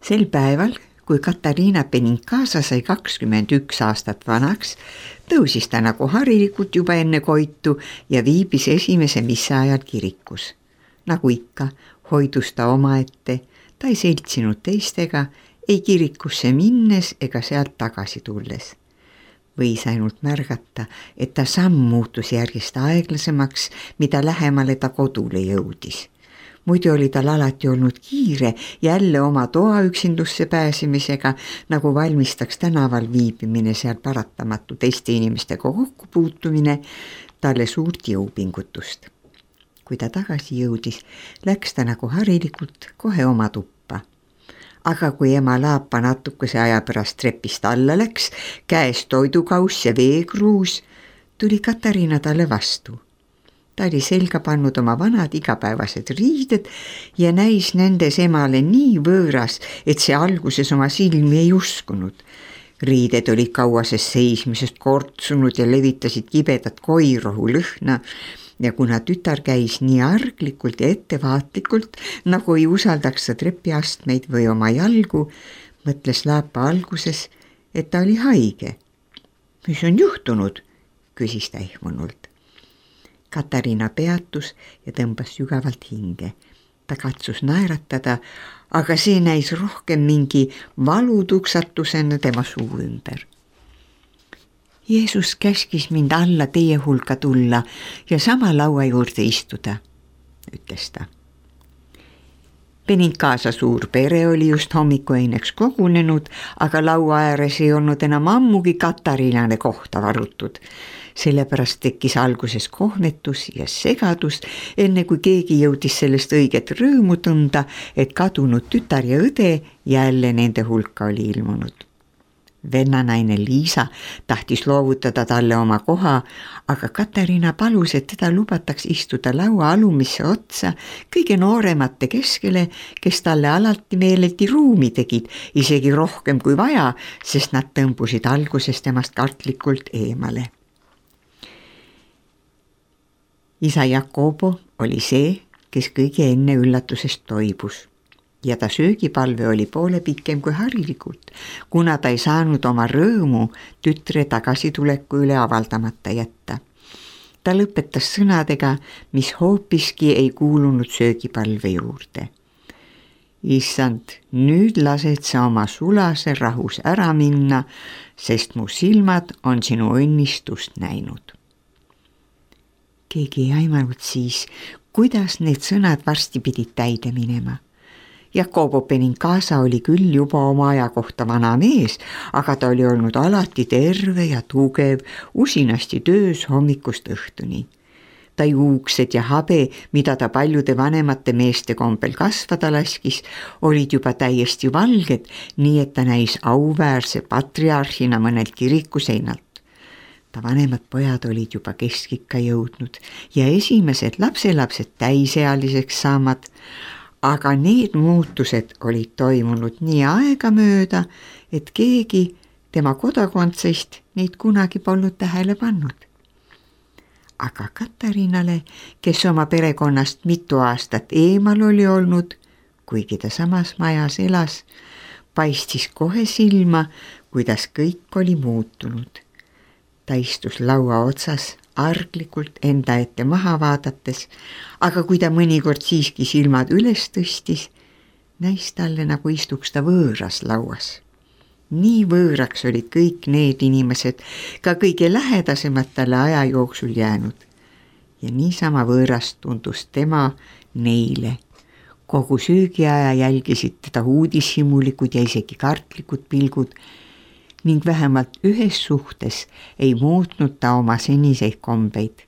Sel päeval, kui Katariina Benincasa sai 21 aastat vanaks, tõusis ta nagu harilikult juba enne koitu ja viibis esimese missa ajal kirikus. Nagu ikka, hoidus ta omaette, ta ei seltsinud teistega, ei kirikusse minnes ega sealt tagasi tulles. Võis ainult märgata, et ta samm muutus järjest aeglasemaks, mida lähemale ta kodule jõudis. Muidu oli tal alati olnud kiire jälle oma toa üksindusse pääsemisega, nagu valmistaks tänaval viibimine seal paratamatu teiste inimestega kokku puutumine talle suurt jõupingutust. Kui ta tagasi jõudis, läks ta nagu harilikult kohe oma tuppa. Aga kui ema Laapa natukese aja pärast trepist alla läks, käes toidukauss ja veekruus, tuli Katariina talle vastu. Ta oli selga pannud oma vanad igapäevased riided ja näis nendes emale nii võõras, et see alguses oma silmi ei uskunud. Riided olid kauasest seismisest kortsunud ja levitasid kibedat koirohu lõhna ja kuna tütar käis nii arglikult ja ettevaatlikult, nagu ei usaldaks ta trepiastmeid või oma jalgu, mõtles Laapa alguses, et ta oli haige. Mis on juhtunud? Küsis ta ehmunult. Katariina peatus ja tõmbas sügavalt hinge. Ta katsus naeratada, aga see näis rohkem mingi valutuksatusena tema suu ümber. Jeesus käskis mind alla teie hulka tulla ja sama laua juurde istuda, ütles ta. Benincasa suur pere oli just hommikueineks kogunenud, aga laua ääres ei olnud enam ammugi Katariinale kohta varutud. Sellepärast tekkis alguses kohnetus ja segadus, enne kui keegi jõudis sellest õiget rõõmu tunda, et kadunud tütar ja õde jälle nende hulka oli ilmunud. Vennanaine Liisa tahtis loovutada talle oma koha, aga Katariina palus, et teda lubataks istuda laua alumisse otsa kõige nooremate keskele, kes talle alati meeleldi ruumi tegid, isegi rohkem kui vaja, sest nad tõmbusid alguses temast kartlikult eemale. Isa Jakobo oli see, kes kõige enne üllatusest toibus ja ta söögipalve oli poole pikem kui harilikult, kuna ta ei saanud oma rõõmu tütre tagasituleku üle avaldamata jätta. Ta lõpetas sõnadega, mis hoopiski ei kuulunud söögipalve juurde. Issand, nüüd lased sa oma sulase rahus ära minna, sest mu silmad on sinu õnnistust näinud. Keegi ei aimanud siis, kuidas need sõnad varsti pidid täide minema. Jakobo Benincasa oli küll juba oma aja kohta vana mees, aga ta oli olnud alati terve ja tugev, usinasti töös hommikust õhtuni. Ta juuksed ja habe, mida ta paljude vanemate meeste kombel kasvada laskis, olid juba täiesti valged, nii et ta näis auväärse patriarhina mõnelt kiriku seinalt. Ta vanemad pojad olid juba keskikka jõudnud ja esimesed lapselapsed täisealiseks saamad, aga need muutused olid toimunud nii aegamööda, et keegi tema kodakondsest neid kunagi polnud tähele pannud. Aga Katariinale, kes oma perekonnast mitu aastat eemal oli olnud, kuigi ta samas majas elas, paistis kohe silma, kuidas kõik oli muutunud. Ta istus laua otsas arglikult enda ette maha vaadates, aga kui ta mõnikord siiski silmad üles tõstis, näis talle nagu istuks ta võõras lauas. Nii võõraks olid kõik need inimesed, ka kõige lähedasemad talle aja jooksul jäänud. Ja niisama võõras tundus tema neile. Kogu söögiaja jälgisid teda uudishimulikud ja isegi kartlikud pilgud, ning vähemalt ühes suhtes ei muutnud ta oma seniseid kombeid.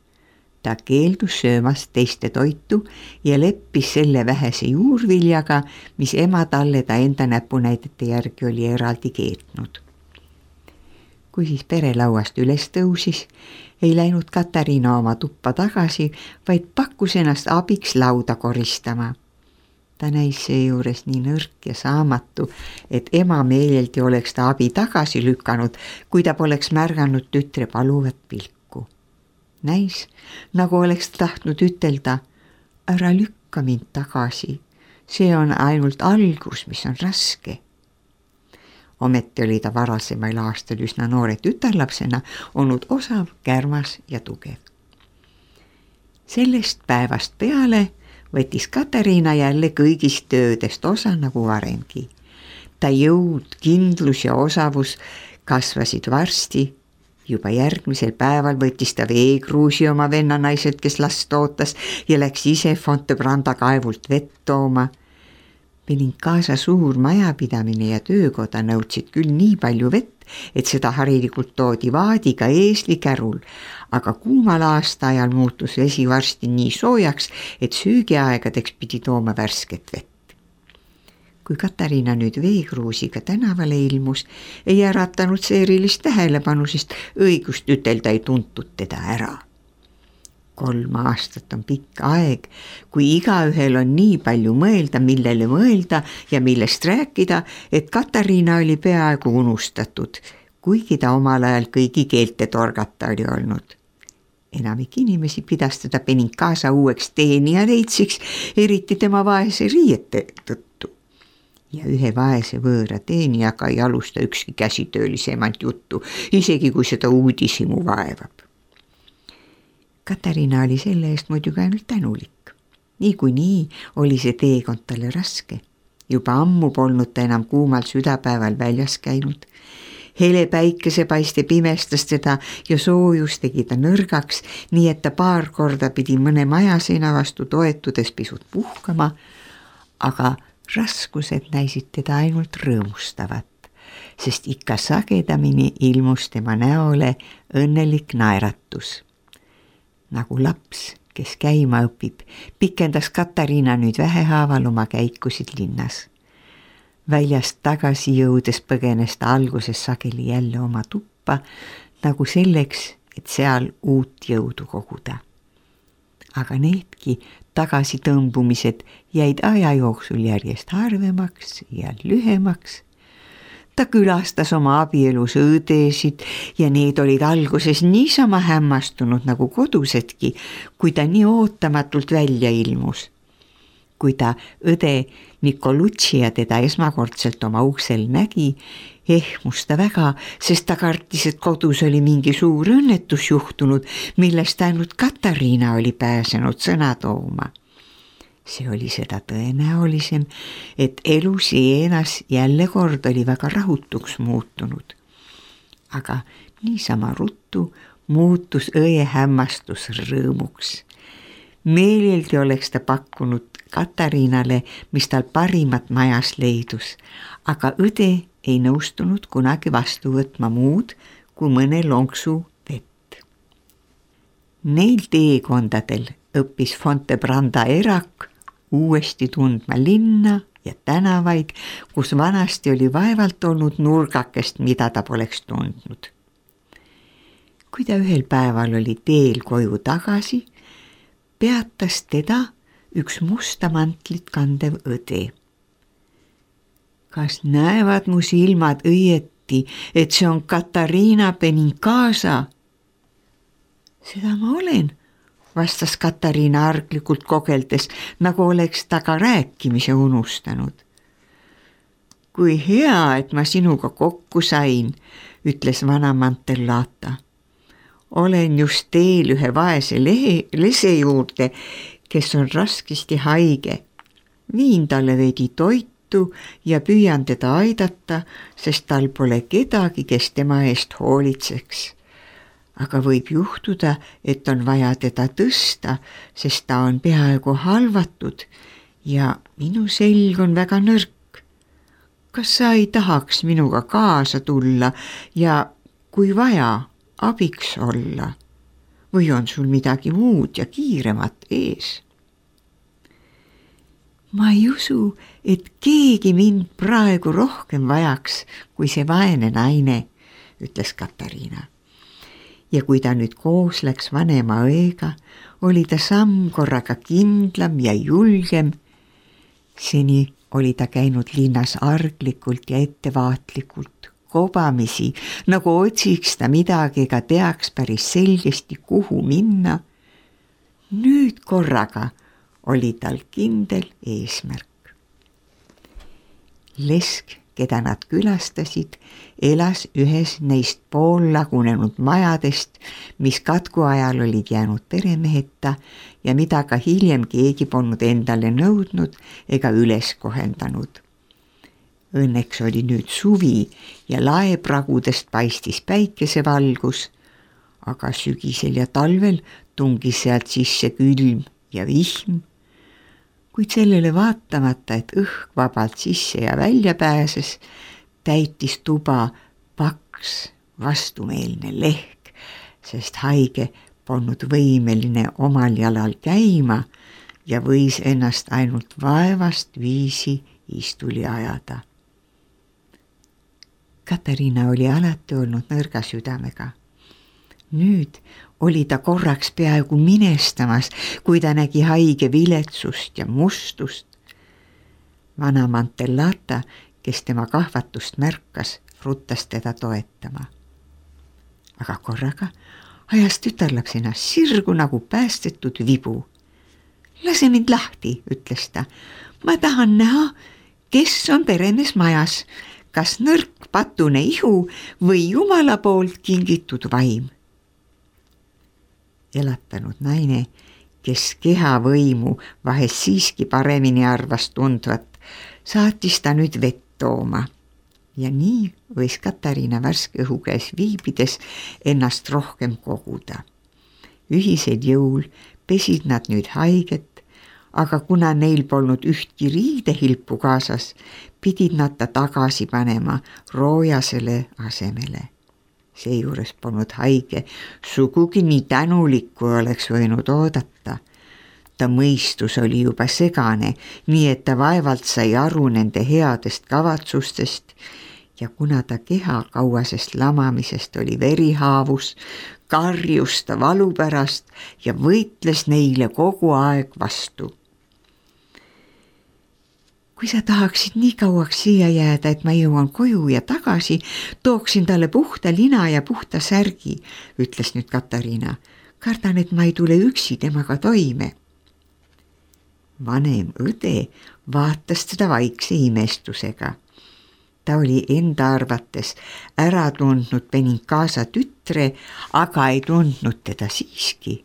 Ta keeldus söömast teiste toitu ja leppis selle vähese juurviljaga, mis ema talle ta enda näpunäidete järgi oli eraldi keetnud. Kui siis pere lauast üles tõusis, ei läinud Katariina oma tuppa tagasi, vaid pakkus ennast abiks lauda koristama. Ta näis seejuures nii nõrk ja saamatu, et ema meeleldi oleks ta abi tagasi lükanud, kui ta poleks märganud tütre paluvat pilku. Näis, nagu oleks ta tahtnud ütelda, ära lükka mind tagasi, see on ainult algus, mis on raske. Ometi oli ta varasemail aastal üsna noore tütarlapsena olnud osav, kärmas ja tugev. Sellest päevast peale võttis Katariina jälle kõigist töödest osa nagu varemgi. Ta jõud, kindlus ja osavus kasvasid varsti. Juba järgmisel päeval võttis ta veekruusi oma vennanaiselt, kes last ootas ja läks ise Fontebranda kaevult vett tooma. Benincasa suur majapidamine ja töökoda nõudsid küll nii palju vett, et seda harilikult toodi vaadiga eeslikärul, aga kuumal aastaajal muutus vesi varsti nii soojaks, et söögiaegadeks pidi tooma värsket vett. Kui Katariina nüüd veekruusiga tänavale ilmus, ei äratanud see erilist tähelepanu, sest õigust ütelda ei tuntud teda ära. 3 aastat on pikk aeg, kui igaühel on nii palju mõelda, millele mõelda ja millest rääkida, et Katariina oli peaaegu unustatud, kuigi ta omal ajal kõigi keelte torgata oli olnud. Enamik inimesi pidas teda Benincasa uueks teenijaleitsiks, eriti tema vaese riiete tõttu. Ja ühe vaese võõra teenijaga ei alusta ükski käsitöölisemalt juttu, isegi kui seda uudishimu vaevab. Katariina oli selle eest muidugi ainult tänulik. Niikuinii oli see teekond talle raske. Juba ammu polnud ta enam kuumal südapäeval väljas käinud. Hele päikesepaiste pimestas teda ja soojus tegi ta nõrgaks, nii et ta paar korda pidi mõne majaseina vastu toetudes pisut puhkama, aga raskused näisid teda ainult rõõmustavat, sest ikka sagedamini ilmus tema näole õnnelik naeratus. Nagu laps, kes käima õpib, pikendas Katariina nüüd vähehaaval oma käikusid linnas. Väljast tagasi jõudes põgenes ta alguses sageli jälle oma tuppa, nagu selleks, et seal uut jõudu koguda. Aga needki tagasitõmbumised jäid aja jooksul järjest harvemaks ja lühemaks. Ta külastas oma abielus õdesid ja need olid alguses niisama hämmastunud nagu kodusedki, kui ta nii ootamatult välja ilmus. Kui ta õde Nicoluccia teda esmakordselt oma uksel nägi, ehmus ta väga, sest ta kartis, et kodus oli mingi suur õnnetus juhtunud, millest ainult Katariina oli pääsenud sõna tooma. See oli seda tõenäolisem, et elu Sienas jälle kord oli väga rahutuks muutunud. Aga niisama ruttu muutus õe hämmastus rõõmuks. Meeleldi oleks ta pakkunud Katariinale, mis tal parimat majas leidus, aga õde ei nõustunud kunagi vastu võtma muud kui mõne lonksu vett. Neil teekondadel õppis Fontebranda erak uuesti tundma linna ja tänavaid, kus vanasti oli vaevalt olnud nurgakest, mida ta poleks tundnud. Kui ta ühel päeval oli teel koju tagasi, peatas teda üks musta mantlit kandev õde. Kas näevad mu silmad õieti, et see on Katariina Benincasa? Seda ma olen, vastas Katariina arglikult kogeldes, nagu oleks ta ka rääkimise unustanud. Kui hea, et ma sinuga kokku sain, ütles vana Mantellata. Olen just teel ühe vaese lese juurde, kes on raskesti haige. Viin talle veidi toitu ja püüan teda aidata, sest tal pole kedagi, kes tema eest hoolitseks. Aga võib juhtuda, et on vaja teda tõsta, sest ta on peaaegu halvatud ja minu selg on väga nõrk. Kas sa ei tahaks minuga kaasa tulla ja kui vaja, abiks olla? Või on sul midagi muud ja kiiremat ees? Ma ei usu, et keegi mind praegu rohkem vajaks kui see vaene naine, ütles Katariina. Ja kui ta nüüd koos läks vanema õega, oli ta samm korraga kindlam ja julgem. Seni oli ta käinud linnas arglikult ja ettevaatlikult, kobamisi, nagu otsiks ta midagi ega teaks päris selgesti, kuhu minna. Nüüd korraga oli tal kindel eesmärk. Lesk, keda nad külastasid, elas ühes neist poollagunenud majadest, mis katku ajal olid jäänud peremeheta ja mida ka hiljem keegi polnud endale nõudnud ega üles kohendanud. Õnneks oli nüüd suvi ja laepragudest paistis päikesevalgus, aga sügisel ja talvel tungis sealt sisse külm ja vihm. Kuid sellele vaatamata, et õhk vabalt sisse ja välja pääses, täitis tuba paks vastumeelne lehk, sest haige polnud võimeline omal jalal käima ja võis ennast ainult vaevast viisi istuli ajada. Katariina oli alati olnud nõrga südamega. Nüüd oli ta korraks peaaegu minestamas, kui ta nägi haige viletsust ja mustust. Vana Mantellata, kes tema kahvatust märkas, ruttas teda toetama. Aga korraga ajas tütarlaps ennast sirgu nagu päästetud vibu. Lase mind lahti, ütles ta. Ma tahan näha, kes on peremees majas, kas nõrk patune ihu või Jumala poolt kingitud vaim. Elatanud naine, kes kehavõimu vahest siiski paremini arvas tundvat, saatis ta nüüd vett tooma. Ja nii võis Katariina värske õhu käes viibides ennast rohkem koguda. Ühisel jõul pesid nad nüüd haiget, aga kuna neil polnud ühtki riidehilpu kaasas, pidid nad ta tagasi panema roojasele asemele. Seejuures polnud haige sugugi nii tänulik, kui oleks võinud oodata. Ta mõistus oli juba segane, nii et ta vaevalt sai aru nende headest kavatsustest ja kuna ta keha kauasest lamamisest oli verihaavus, karjus ta valu pärast ja võitles neile kogu aeg vastu. Kui sa tahaksid nii kauaks siia jääda, et ma jõuan koju ja tagasi, tooksin talle puhta lina ja puhta särgi, ütles nüüd Katariina. Kardan, et ma ei tule üksi temaga toime. Vanem õde vaatas teda vaikse imestusega. Ta oli enda arvates ära tundnud Benincasa tütre, aga ei tundnud teda siiski.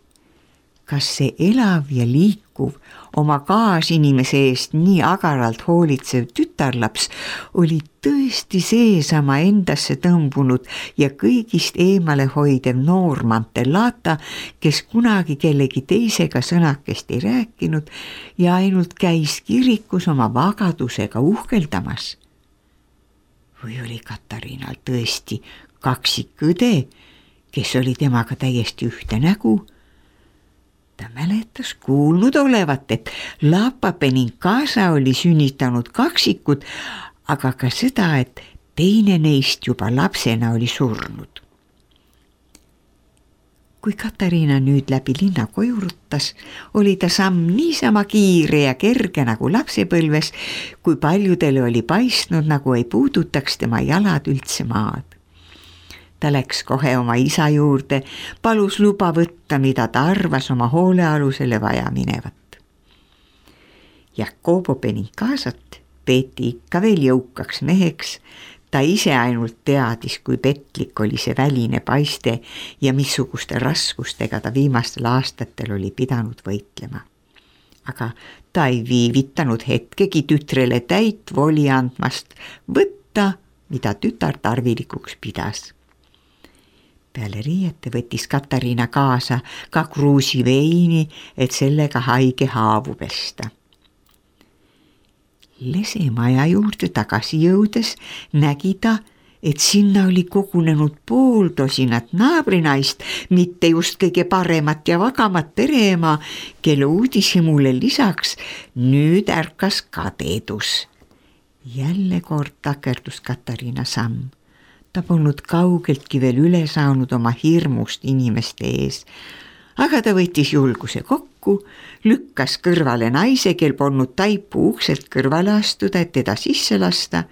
Kas see elav ja liikuv, oma kaasinimese eest nii agaralt hoolitsev tütarlaps oli tõesti seesama endasse tõmbunud ja kõigist eemale hoidev noor Mantellata, kes kunagi kellegi teisega sõnakest ei rääkinud ja ainult käis kirikus oma vagadusega uhkeldamas. Või oli Katariinal tõesti kaksikõde, kes oli temaga täiesti ühte nägu? Ta mäletas kuulnud olevat, et Lapa Benincasa oli sünnitanud kaksikud, aga ka seda, et teine neist juba lapsena oli surnud. Kui Katariina nüüd läbi linna koju ruttas, oli ta samm niisama kiire ja kerge nagu lapsepõlves, kui paljudele oli paistnud, nagu ei puudutaks tema jalad üldse maad. Ta läks kohe oma isa juurde, palus luba võtta, mida ta arvas oma hoolealusele vaja minevat. Jacobo Benincasat peeti ikka veel jõukaks meheks, ta ise ainult teadis, kui petlik oli see väline paiste ja missuguste raskustega ta viimastel aastatel oli pidanud võitlema. Aga ta ei viivitanud hetkegi tütrele täit voli andmast võtta, mida tütar tarvilikuks pidas. Peale riiete võttis Katariina kaasa ka kruusi veini, et sellega haige haavu pesta. Lesemaja juurde tagasi jõudes nägi ta, et sinna oli kogunenud pooltosinat naabrinaist, mitte just kõige paremat ja vagamat pereema, kelle uudishimule lisaks nüüd ärkas kadedus. Jälle kord takerdus Katariina samm. Ta polnud kaugeltki veel üle saanud oma hirmust inimeste ees, aga ta võttis julguse kokku, lükkas kõrvale naise, kel polnud taipu ukselt kõrvale astuda, et teda sisse lasta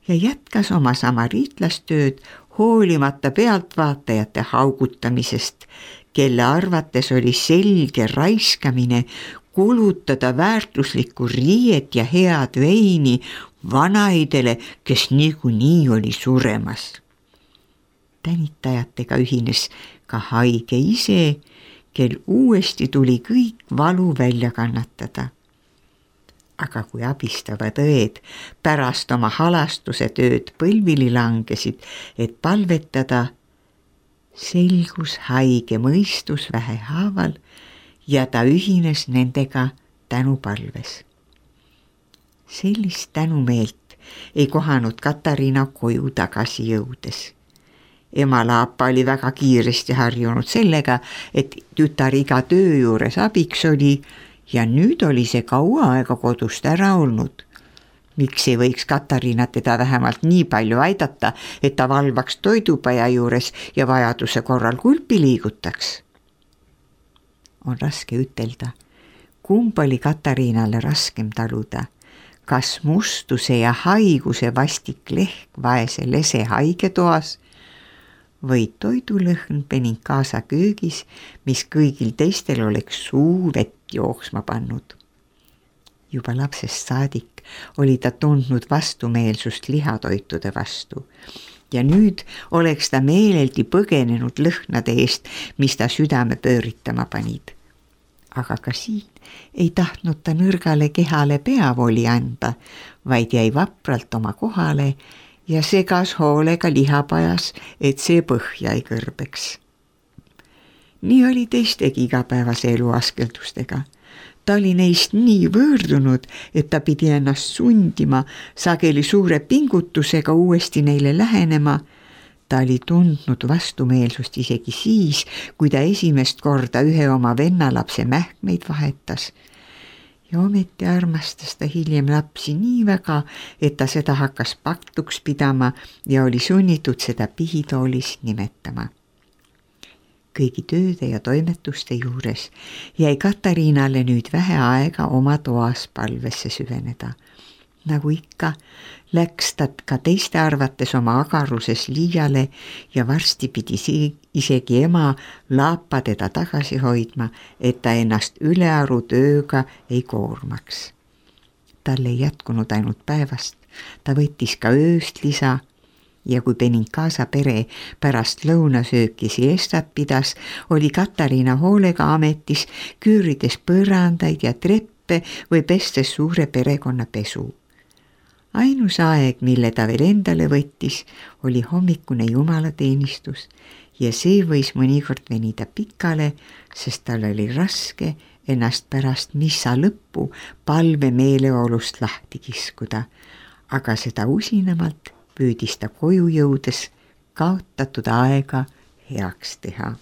ja jätkas oma samariitlastööd hoolimata pealtvaatajate haugutamisest, kelle arvates oli selge raiskamine, kulutada väärtuslikku riiet ja head veini vanaidele, kes niikuinii oli suremas. Tänitajatega ühines ka haige ise, kel uuesti tuli kõik valu välja kannatada. Aga kui abistavad õed pärast oma halastuse tööd põlvili langesid, et palvetada, selgus haige mõistus vähehaaval ja ta ühines nendega tänupalves. Sellist tänumeelt ei kohanud Katariina koju tagasi jõudes. Ema Laapa oli väga kiiresti harjunud sellega, et tütar iga töö juures abiks oli ja nüüd oli see kaua aega kodust ära olnud. Miks ei võiks Katariina teda vähemalt nii palju aidata, et ta valvaks toidupaja juures ja vajaduse korral kulpi liigutaks? On raske ütelda, kumb oli Katariinale raskem taluda, kas mustuse ja haiguse vastik lehk vaese lese haigetoas või toidulõhn Benincasa köögis, mis kõigil teistel oleks suu vett jooksma pannud. Juba lapsest saadik oli ta tundnud vastumeelsust lihatoitude vastu ja nüüd oleks ta meeleldi põgenenud lõhnade eest, mis ta südame pööritama panid. Aga ka siin ei tahtnud ta nõrgale kehale peavoli anda, vaid jäi vapralt oma kohale ja segas hoolega lihapajas, et see põhja ei kõrbeks. Nii oli teistegi igapäevase elu askeldustega. Ta oli neist nii võõrdunud, et ta pidi ennast sundima, sageli suure pingutusega uuesti neile lähenema. Ta oli tundnud vastumeelsust isegi siis, kui ta esimest korda ühe oma vennalapse mähkmeid vahetas. Ja ometi armastas ta hiljem lapsi nii väga, et ta seda hakkas paktuks pidama ja oli sunnitud seda pihitoolis nimetama. Kõigi tööde ja toimetuste juures jäi Katariinale nüüd vähe aega oma toas palvesse süveneda. Nagu ikka, läks ta ka teiste arvates oma agaruses liiale ja varsti pidi isegi ema Laapa teda tagasi hoidma, et ta ennast ülearu tööga ei koormaks. Tal ei jätkunud ainult päevast, ta võttis ka ööst lisa ja kui Benincasa pere pärast lõunasööki siestat pidas, oli Katariina hoolega ametis, küürides põrandaid ja treppe või pestes suure perekonna pesu. Ainus aeg, mille ta veel endale võttis, oli hommikune jumalateenistus ja see võis mõnikord venida pikale, sest tal oli raske ennast pärast missa lõppu palve meeleolust lahti kiskuda, aga seda usinamalt püüdis ta koju jõudes kaotatud aega heaks teha.